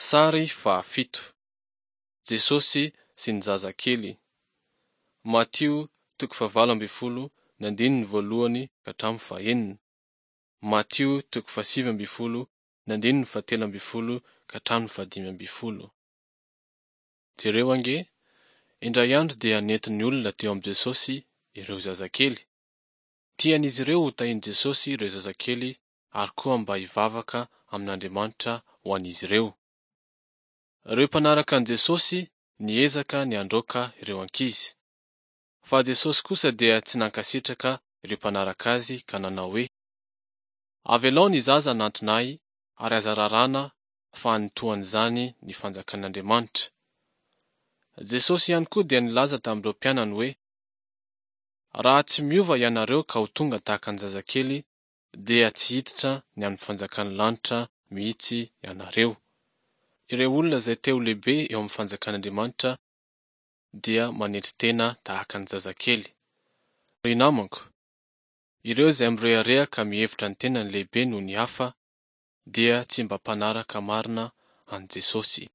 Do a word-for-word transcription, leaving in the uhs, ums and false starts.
Sary fahafito. Jesosy sy ny zazakely. Matio toko fahavalo ambin'ny folo ny andininy voalohany ka hatramin'ny fahenina. Matio toko fahasivy ambin'ny folo ny andininy fahatelo ambin'ny folo ka hatramin'ny fahadimy ambin'ny folo. Jereo ange, indray andro dia nentin'ny olona teo amin'i Jesosy ireo zazakely. Tian'izy ireo hotahian'i Jesosy ireo zazakely ary koa mba hivavaka amin'Andriamanitra ho an'izy ireo. Ireo mpanaraka an'i Jesosy niezaka ny handroaka ireo ankizy. Fa Jesosy kosa dia tsy nankasitraka ireo mpanaraka azy ka nanao hoe: Avelao ny zaza hanantona ahy ary aza raràna fa an'ny toa an'izany ny fanjakan'Andriamanitra. Jesosy ihany koa dia nilaza tamin'ireo mpianany hoe: Raha tsy miova ianareo ka ho tonga tahaka ny zazakely dia tsy hiditra ny amin'ny fanjakan'ny lanitra mihitsy ianareo. Ireo olona izay te ho lehibe eo amin'ny fanjakan'Andriamanitra dia manetry tena tahaka ny zazakely. Ry namako, ireo izay mirehareha ka mihevitra ny tenany lehibe noho ny hafa dia tsy mba mpanaraka marina an'i Jesosy.